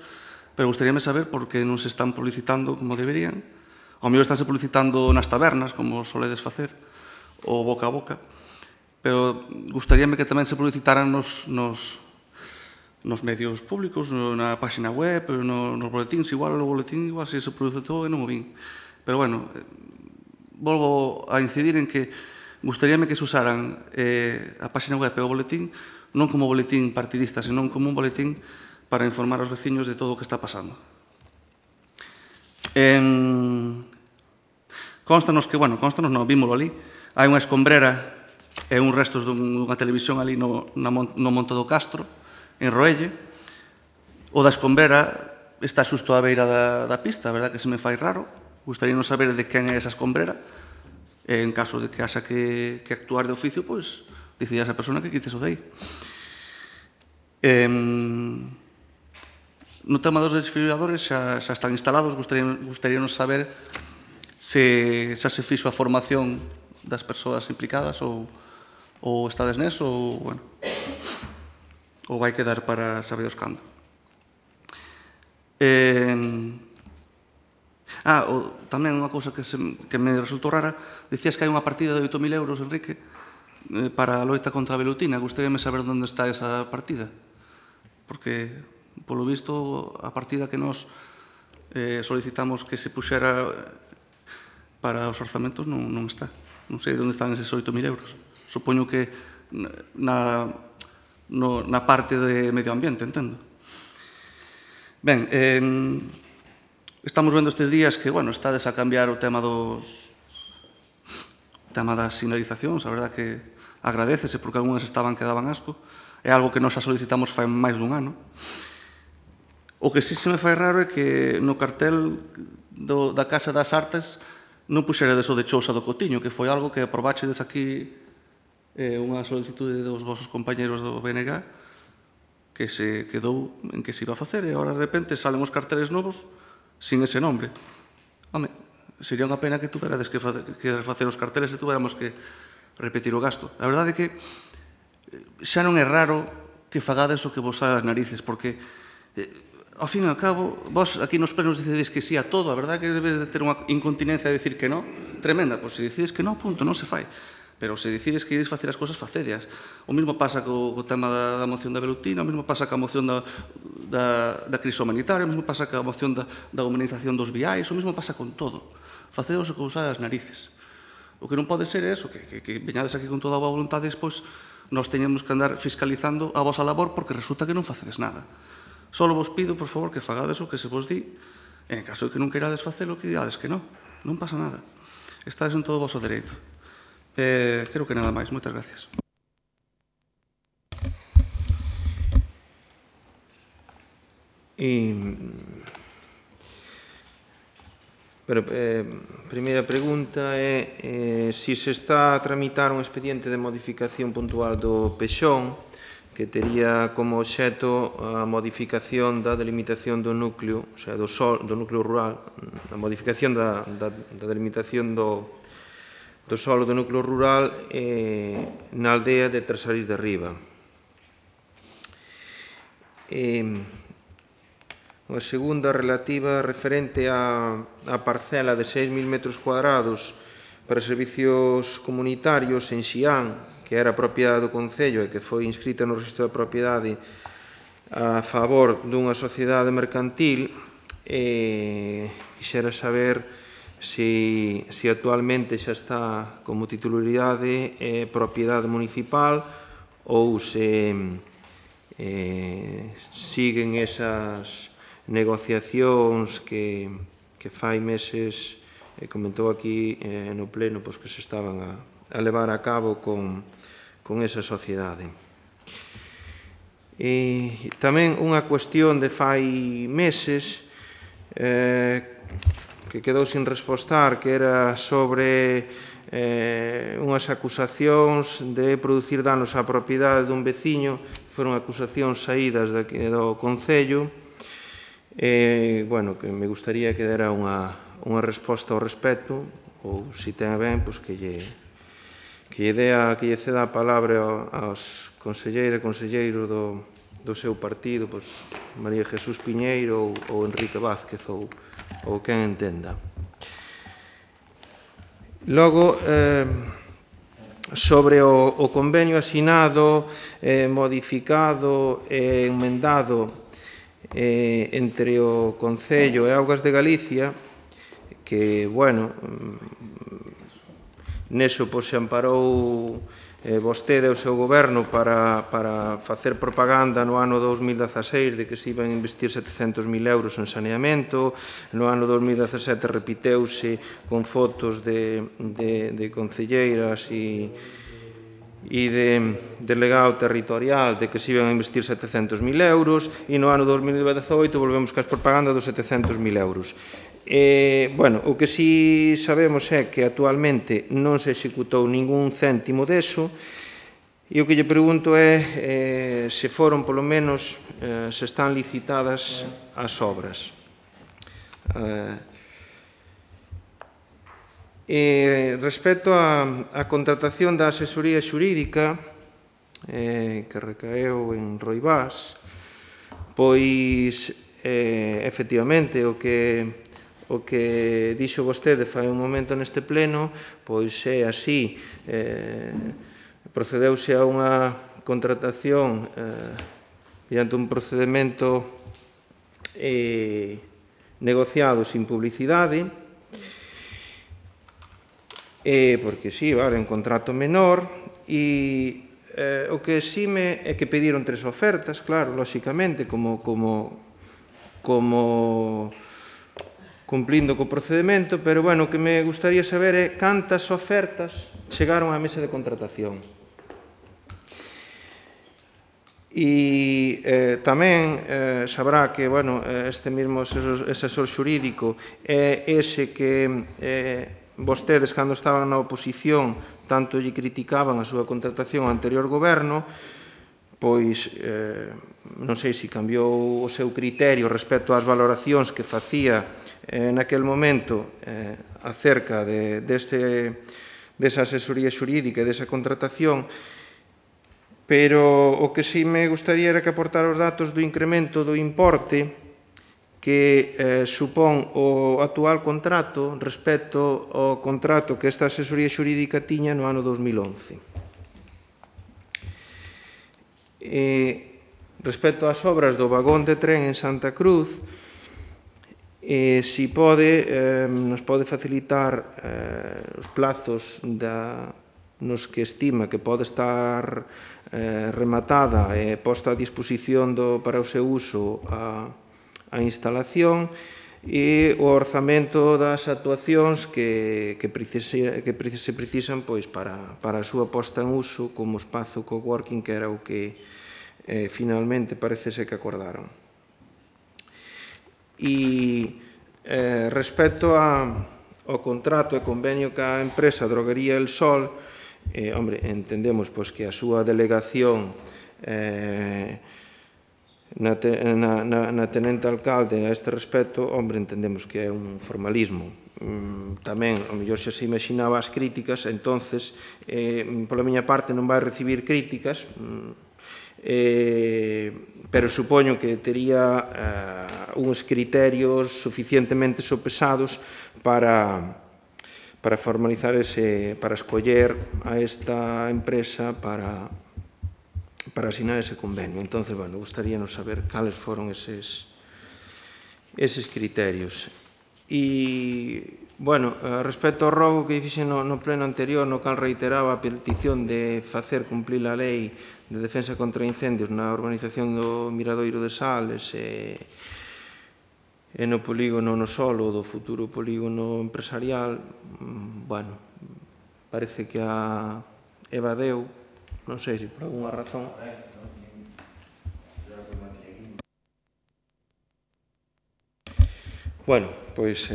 E: pero gustaríame saber por que non se están publicitando como deberían. Ao mellor estánse publicitando nas tabernas, como soledes facer, ou boca a boca, pero gustaríame que tamén se publicitaran nos medios públicos, na página web, nos boletíns. Igual o boletín se publicitou e non o vin. Pero, bueno, volvo a incidir en que gustaríame que se usaran a página web e o boletín non como boletín partidista, senón como un boletín para informar aos veciños de todo o que está pasando. Constanos que, bueno, vímolo ali, hai unha escombrera e un restos dunha televisión ali no Monte do Castro, en Roelle. O da escombrera está xusto á beira da pista, a verdad que se me fai raro. Gustaríanos saber de quen é esa escombrera. En caso de que haxa que actuar de oficio, pois, dicía esa persona que quites o de aí. No tema dos desfibriladores xa están instalados. Gustaríanos saber se xa se fixo a formación das persoas implicadas ou estades neso ou vai quedar para sabeos cando. Tamén unha cousa que me resultou rara, dicías que hai unha partida de 8.000 euros, Enrique, para a loita contra a velutina. Gustaríame saber onde está esa partida, porque, polo visto, a partida que nos solicitamos que se puxera para os orzamentos non está. Non sei onde están eses 8.000 euros. Supoño que na parte de medio ambiente, entendo. Ben, estamos vendo estes días que, estades a cambiar o tema das sinalizacións. A verdad que agradecese, porque algunhas estaban que daban asco. É algo que nos xa solicitamos fai máis dun ano. O que sí se me fai raro é que no cartel da Casa das Artes non puxeredes o de Chousa do Cotiño, que foi algo que aprobachedes aquí unha solicitude dos vosos compañeros do BNG, que se quedou en que se iba a facer, e agora de repente salen os carteles novos sin ese nombre. Home, sería unha pena que tuverades que facer os carteles e tuveramos que repetir o gasto. A verdade é que xa non é raro que fagades o que vos sae das narices, porque, ao fin e ao cabo, vos aquí nos plenos decideis que sí a todo. A verdade é que debes de ter unha incontinencia de decir que non tremenda. Pois se decides que non, punto, non se fai. Pero se decides que ides facer as cousas, facedias. O mesmo pasa co tema da moción da velutina, o mesmo pasa ca moción da crise humanitaria, o mesmo pasa ca moción da humanización dos viais, o mesmo pasa con todo. Facedos o que vos sae das narices. O que non pode ser é eso, que veñades aquí con toda a boa voluntade e despois nos teñemos que andar fiscalizando a vosa labor porque resulta que non facedes nada. Só vos pido, por favor, que fagades o que se vos di. En caso de que non queirades facelo, que digades que non. Non pasa nada. Estades en todo o voso dereito. Creo que nada máis. Moitas gracias.
G: Primeira pregunta é se se está a tramitar un expediente de modificación puntual do Pexón que tería como obxecto a modificación da delimitación do núcleo, o sea, do núcleo rural, a modificación da delimitación do solo do núcleo rural na aldea de Trasalís de Riba. Unha segunda relativa referente á parcela de 6.000 metros cuadrados para servicios comunitarios en Xián, que era propiedade do Concello e que foi inscrita no registro de propiedade a favor dunha sociedade mercantil. Quixera saber se actualmente xa está como titularidade propiedade municipal ou se siguen esas negociacións que fai meses comentou aquí no pleno que se estaban a levar a cabo con esa sociedade. E tamén unha cuestión de fai meses que quedou sin respostar, que era sobre unhas acusacións de producir danos á propiedade dun veciño. Foron acusacións saídas do Concello. Que me gustaría que dera unha resposta ao respecto, ou, se ten a ben, que lle ceda a palabra aos conselleiros e conselleiros do seu partido, María Jesús Piñeiro ou Enrique Vázquez, ou quen entenda. Logo, sobre o convenio asinado, modificado e enmendado entre o Concello e Augas de Galicia, que, neso se amparou vostede o seu goberno para facer propaganda no ano 2016 de que se iban a investir 700.000 euros en saneamento. No ano 2017 repiteuse con fotos de concelleiras e e de delegado territorial de que se iban a investir 700.000 euros e no ano 2018 volvemos cas propaganda dos 700.000 euros. Bueno, o que si sabemos é que actualmente non se executou ningún céntimo deso e o que lle pregunto é se foron, polo menos, se están licitadas as obras. Respecto á contratación da asesoría xurídica que recaeu en Roibás, pois efectivamente o que dixo vostede fai un momento neste pleno pois é así, procedeuse a unha contratación mediante un procedemento negociado sin publicidade, porque sí, vale, un contrato menor, e o que sí é que pediron 3 ofertas, claro, lóxicamente, como cumplindo co procedimento, pero, bueno, o que me gustaría saber é cantas ofertas chegaron á mesa de contratación. E tamén sabrá que, bueno, este mesmo asesor xurídico é ese que vostedes, cando estaban na oposición, tanto lle criticaban a súa contratación ao anterior goberno, pois non sei se cambiou o seu criterio respecto ás valoracións que facía naquel momento acerca desa asesoría xurídica e desa contratación, pero o que sí me gustaría era que aportara os datos do incremento do importe que supón o actual contrato respecto ao contrato que esta asesoría xurídica tiña no ano 2011. Respecto ás obras do vagón de tren en Santa Cruz, si nos pode facilitar os plazos nos que estima que pode estar rematada e posta a disposición para o seu uso a instalación e o orzamento das actuacións que se precisan para a súa posta en uso como espazo coworking, que era o que finalmente parece ser que acordaron. E respecto ao contrato e convenio ca empresa Droguería El Sol, entendemos que a súa delegación na tenente alcalde a este respecto, entendemos que é un formalismo. Tamén, ao mellor xa se imaginaba as críticas, entonces, pola miña parte non vai recibir críticas, pero supoño que tería uns criterios suficientemente sopesados para formalizar para escoller a esta empresa para asinar ese convenio. Entón, bueno, gustaríanos saber cales foron eses criterios. E, bueno, respecto ao rogo que fixen no pleno anterior, no cal reiteraba a petición de facer cumplir a lei de defensa contra incendios na urbanización do Miradoiro de Sales e no polígono no solo do futuro polígono empresarial, bueno, parece que a evadeu, non sei se por alguna razón. Bueno, pois,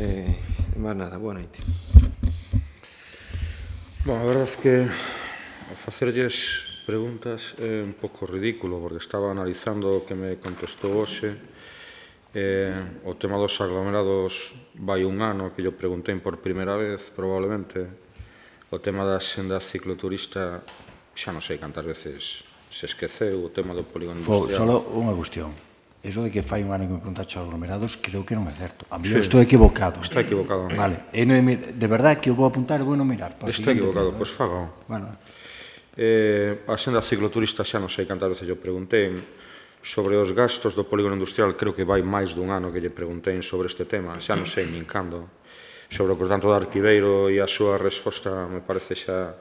G: máis nada, boa noite.
D: Bom, a verdade é que facerlles preguntas é un pouco ridículo, porque estaba analizando o que me contestou hoxe. O tema dos aglomerados vai un ano que yo preguntei por primeira vez, probablemente. O tema da xenda cicloturista xa non sei cantas veces se esqueceu, o tema do polígono industrial.
A: Solo unha cuestión. Eso de que fai un ano que me preguntaxe aglomerados, creo que non é certo. A mí estou equivocado.
D: Está equivocado.
A: Vale. De verdade que eu vou apuntar e vou non mirar.
D: Está equivocado, pois faga. Bueno. A xenda cicloturista xa non sei cantas veces eu preguntei. Sobre os gastos do polígono industrial, creo que vai máis dun ano que lle preguntei sobre este tema. Xa non sei nin cando. Sobre o que tanto do Arquiveiro e a súa resposta me parece xa...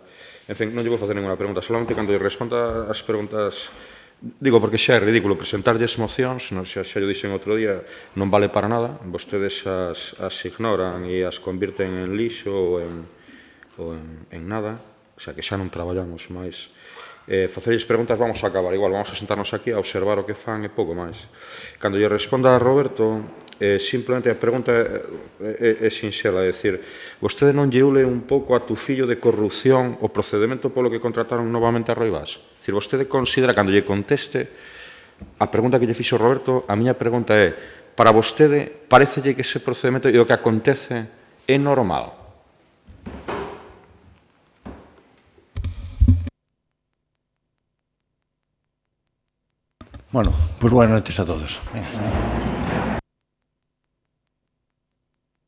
D: En fin, non lle vou facer ninguna pregunta. Solamente cando lle responda as preguntas... Digo, porque xa é ridículo presentarlles mocións, xa lle dixen outro día, non vale para nada, vostedes as ignoran e as convirten en lixo ou en nada, xa que xa non traballamos máis facerlles preguntas vamos a acabar igual, vamos a sentarnos aquí a observar o que fan e pouco máis. Cando lle responda a Roberto, simplemente a pregunta é sinxela, é dicir, vostede non lle ule un pouco a tu fillo de corrupción o procedimento polo que contrataron novamente a Roibás? É dicir, vostede considera, cando lle conteste a pregunta que lle fixo Roberto, a miña pregunta é, para vostede, parecelle que ese procedimento e o que acontece é normal?
A: Bueno, pues buenas noches a todos. Venga.